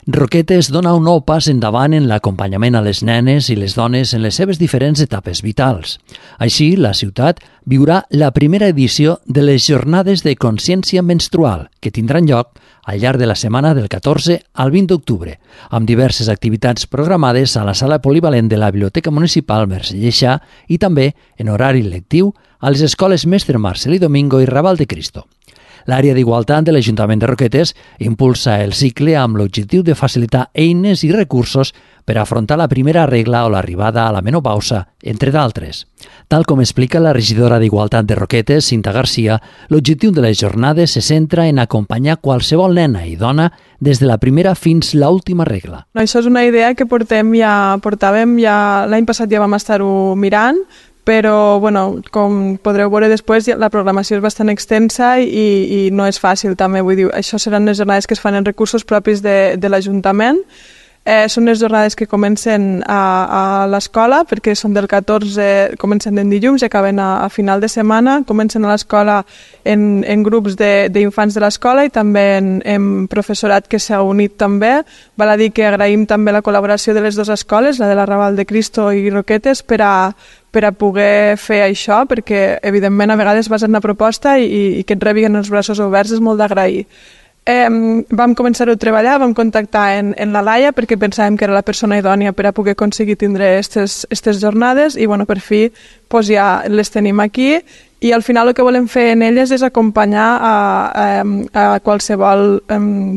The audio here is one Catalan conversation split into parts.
Roquetes dona un nou pas endavant en l'acompanyament a les nenes i les dones en les seves diferents etapes vitals. Així, la ciutat viurà la primera edició de les Jornades de Consciència Menstrual, que tindran lloc al llarg de la setmana del 14 al 20 d'octubre, amb diverses activitats programades a la sala polivalent de la Biblioteca Municipal Mercè Lleixà i també en horari lectiu a les escoles Mestre Marcelí Domingo i Raval de Cristo. L'àrea d'igualtat de l'Ajuntament de Roquetes impulsa el cicle amb l'objectiu de facilitar eines i recursos per afrontar la primera regla o l'arribada a la menopausa, entre d'altres. Tal com explica la regidora d'Igualtat de Roquetes, Cinta Garcia, l'objectiu de les jornades se centra en acompanyar qualsevol nena i dona des de la primera fins l'última regla. Això és una idea que portàvem ja l'any passat ja vam estar-ho mirant, però com podreu veure després la programació és bastant extensa i no és fàcil també, vull dir, això seran les jornades que es fan en recursos propis de l'Ajuntament. Són les jornades que comencen a l'escola, perquè són del 14, comencen en dilluns i acaben a final de setmana, comencen a l'escola en grups d'infants de l'escola i també en professorat que s'ha unit també. Val a dir que agraïm també la col·laboració de les dues escoles, la de la Raval de Cristo i Roquetes, per a poder fer això, perquè evidentment a vegades vas en una proposta i que et rebin els braços oberts és molt d'agrair. Vam començar a treballar, vam contactar en la Laia perquè pensàvem que era la persona idònia per a poder aconseguir tindre aquestes jornades i per fi ja les tenim aquí i al final el que volem fer en elles és acompanyar a qualsevol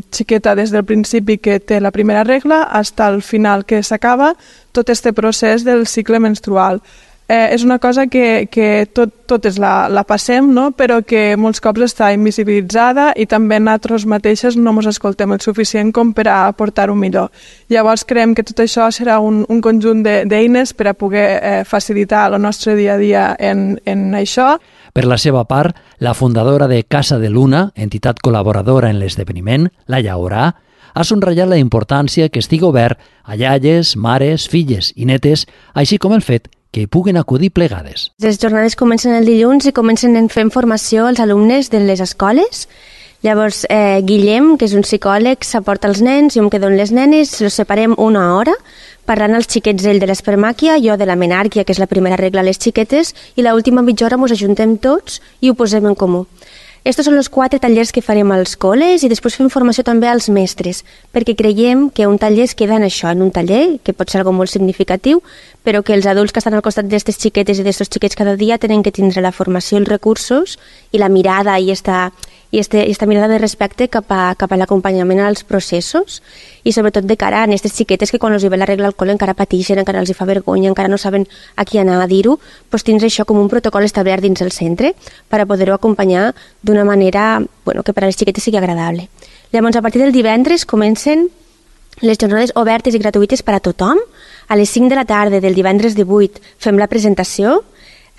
xiqueta des del principi que té la primera regla fins al final que s'acaba tot aquest procés del cicle menstrual. És una cosa que totes la passem, no? Però que molts cops està invisibilitzada i també nosaltres mateixes no ens escoltem el suficient com per a aportar-ho millor. Llavors creiem que tot això serà un conjunt d'eines per a poder facilitar el nostre dia a dia en això. Per la seva part, la fundadora de Casa de Luna, entitat col·laboradora en l'esdeveniment, la Llaurà, ha subratllat la importància que estigui obert a iaies, mares, filles i netes, així com el fet que hi puguen acudir plegades. Les jornades comencen el dilluns i comencen fent formació als alumnes de les escoles. Llavors, Guillem, que és un psicòleg, s'aporta als nens, jo em quedo amb les nenes, els separem una hora, parlant als xiquets ell de l'espermàquia, jo de la menàrquia, que és la primera regla a les xiquetes, i l'última mitja hora ens ajuntem tots i ho posem en comú. Estos són els 4 tallers que farem als col·les i després fem formació també als mestres, perquè creiem que un taller es queda en això, en un taller, que pot ser algo molt significatiu, però que els adults que estan al costat d'aquestes xiquetes i d'aquests xiquets cada dia tenen que tindre la formació i els recursos i la mirada i esta mirada de respecte cap a l'acompanyament als processos i sobretot de cara a aquestes xiquetes que quan els ve la regla al col encara pateixen, encara els fa vergonya, encara no saben a qui anar a dir-ho, doncs tindre això com un protocol establert dins el centre per a poder-ho acompanyar d'una manera que per a les xiquetes sigui agradable. Llavors, a partir del divendres comencen les jornades obertes i gratuïtes per a tothom. A les 5 de la tarda del divendres 18 fem la presentació.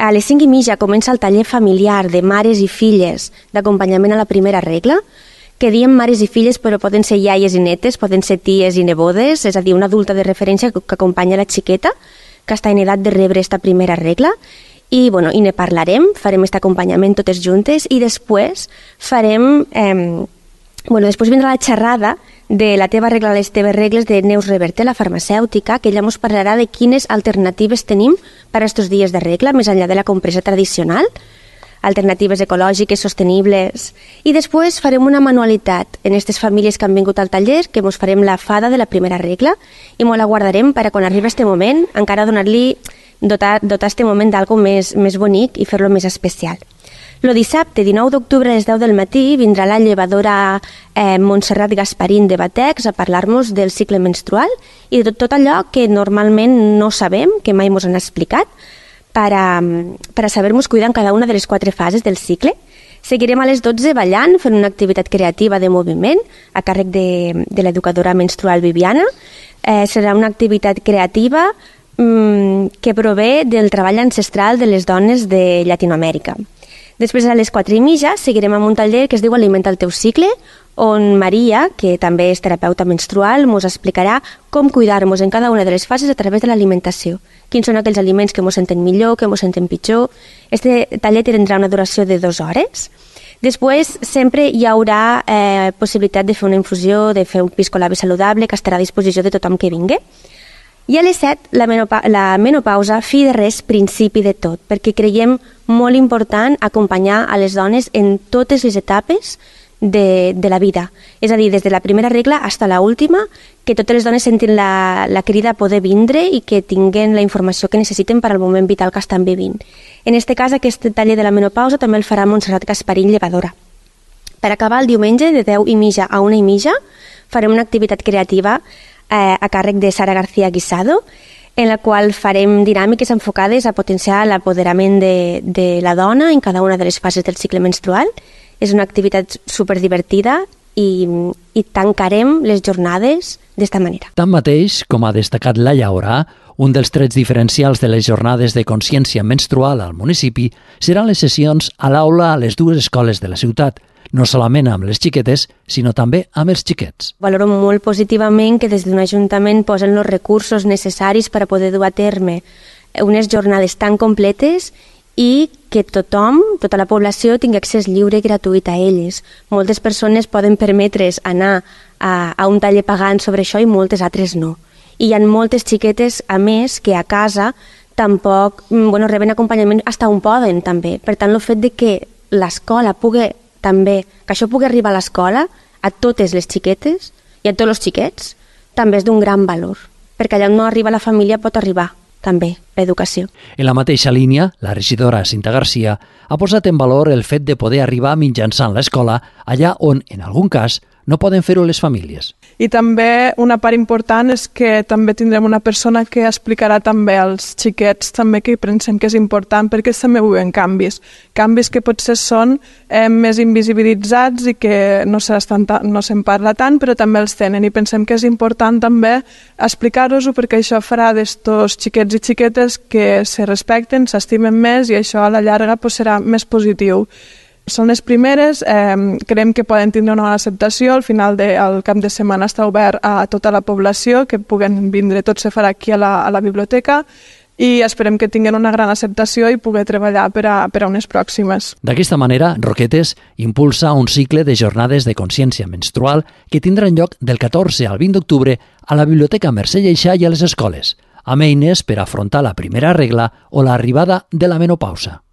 A les 5:30 comença el taller familiar de mares i filles d'acompanyament a la primera regla, que diem mares i filles però poden ser iaies i netes, poden ser ties i nebodes, és a dir, una adulta de referència que acompanya la xiqueta que està en edat de rebre esta primera regla i ne parlarem, farem aquest acompanyament totes juntes i després farem... després vindrà la xerrada de la teva regla, les teves regles de Neus Reverte, la farmacèutica, que ella ens parlarà de quines alternatives tenim per a aquests dies de regla, més enllà de la compresa tradicional, alternatives ecològiques, sostenibles. I després farem una manualitat en aquestes famílies que han vingut al taller, que ens farem la fada de la primera regla i ens la guardarem per a quan arribi aquest moment, encara dotar aquest moment d'algo més bonic i fer-lo més especial. El dissabte, 19 d'octubre a les 10 del matí, vindrà la llevadora Montserrat Gasparín de Batex a parlar-nos del cicle menstrual i de tot allò que normalment no sabem, que mai ens han explicat, per a saber-nos cuidar en cada una de les 4 fases del cicle. Seguirem a les 12 ballant, fent una activitat creativa de moviment a càrrec de l'educadora menstrual Viviana. Serà una activitat creativa que prové del treball ancestral de les dones de Llatinoamèrica. Després, a les 4:30, seguirem amb un taller que es diu Alimenta el teu cicle, on Maria, que també és terapeuta menstrual, ens explicarà com cuidar-nos en cada una de les fases a través de l'alimentació. Quins són aquells aliments que ens senten millor, que ens senten pitjor. Este taller tindrà una duració de 2 hores. Després, sempre hi haurà possibilitat de fer una infusió, de fer un piscolabri saludable que estarà a disposició de tothom que vingui. I a les 7, la menopausa, fi de res, principi de tot, perquè creiem molt important acompanyar a les dones en totes les etapes de la vida. És a dir, des de la primera regla fins a l'última, que totes les dones sentin la crida a poder vindre i que tinguen la informació que necessiten per al moment vital que estan vivint. En aquest cas, aquest taller de la menopausa també el farà Montserrat Gasparín, llevadora. Per acabar el diumenge, de 10:30 a 1:30, farem una activitat creativa a càrrec de Sara García Guisado, en la qual farem dinàmiques enfocades a potenciar l'apoderament de la dona en cada una de les fases del cicle menstrual. És una activitat superdivertida i tancarem les jornades d'esta manera. Tanmateix, com ha destacat Laia Orà, un dels trets diferencials de les jornades de consciència menstrual al municipi seran les sessions a l'aula a les dues escoles de la ciutat, no solament amb les xiquetes, sinó també amb els xiquets. Valoro molt positivament que des d'un ajuntament posen els recursos necessaris per a poder dur a terme unes jornades tan completes i que tothom, tota la població, tingui accés lliure i gratuït a elles. Moltes persones poden permetre's anar a un taller pagant sobre això i moltes altres no. I hi ha moltes xiquetes, a més, que a casa tampoc reben acompanyament fins on poden, també. Per tant, el fet de que l'escola pugui també, que això pugui arribar a l'escola, a totes les xiquetes i a tots els xiquets, també és d'un gran valor, perquè allà on no arriba la família pot arribar també l'educació. En la mateixa línia, la regidora Cinta Garcia ha posat en valor el fet de poder arribar mitjançant l'escola allà on, en algun cas, no poden fer-ho les famílies. I també una part important és que també tindrem una persona que explicarà també als xiquets també que pensem que és important perquè també viuen canvis que potser són més invisibilitzats i que no se'n parla tant, però també els tenen i pensem que és important també explicar-ho perquè això farà d'estos xiquets i xiquetes que se respecten, s'estimen més i això a la llarga serà més positiu. Són les primeres, creiem que poden tindre una bona acceptació, al final del cap de setmana està obert a tota la població, que puguen vindre, tot se farà aquí a la biblioteca i esperem que tinguin una gran acceptació i poder treballar per a unes pròximes. D'aquesta manera, Roquetes impulsa un cicle de jornades de consciència menstrual que tindran lloc del 14 al 20 d'octubre a la Biblioteca Mercè Lleixà i a les escoles, amb eines per afrontar la primera regla o l'arribada de la menopausa.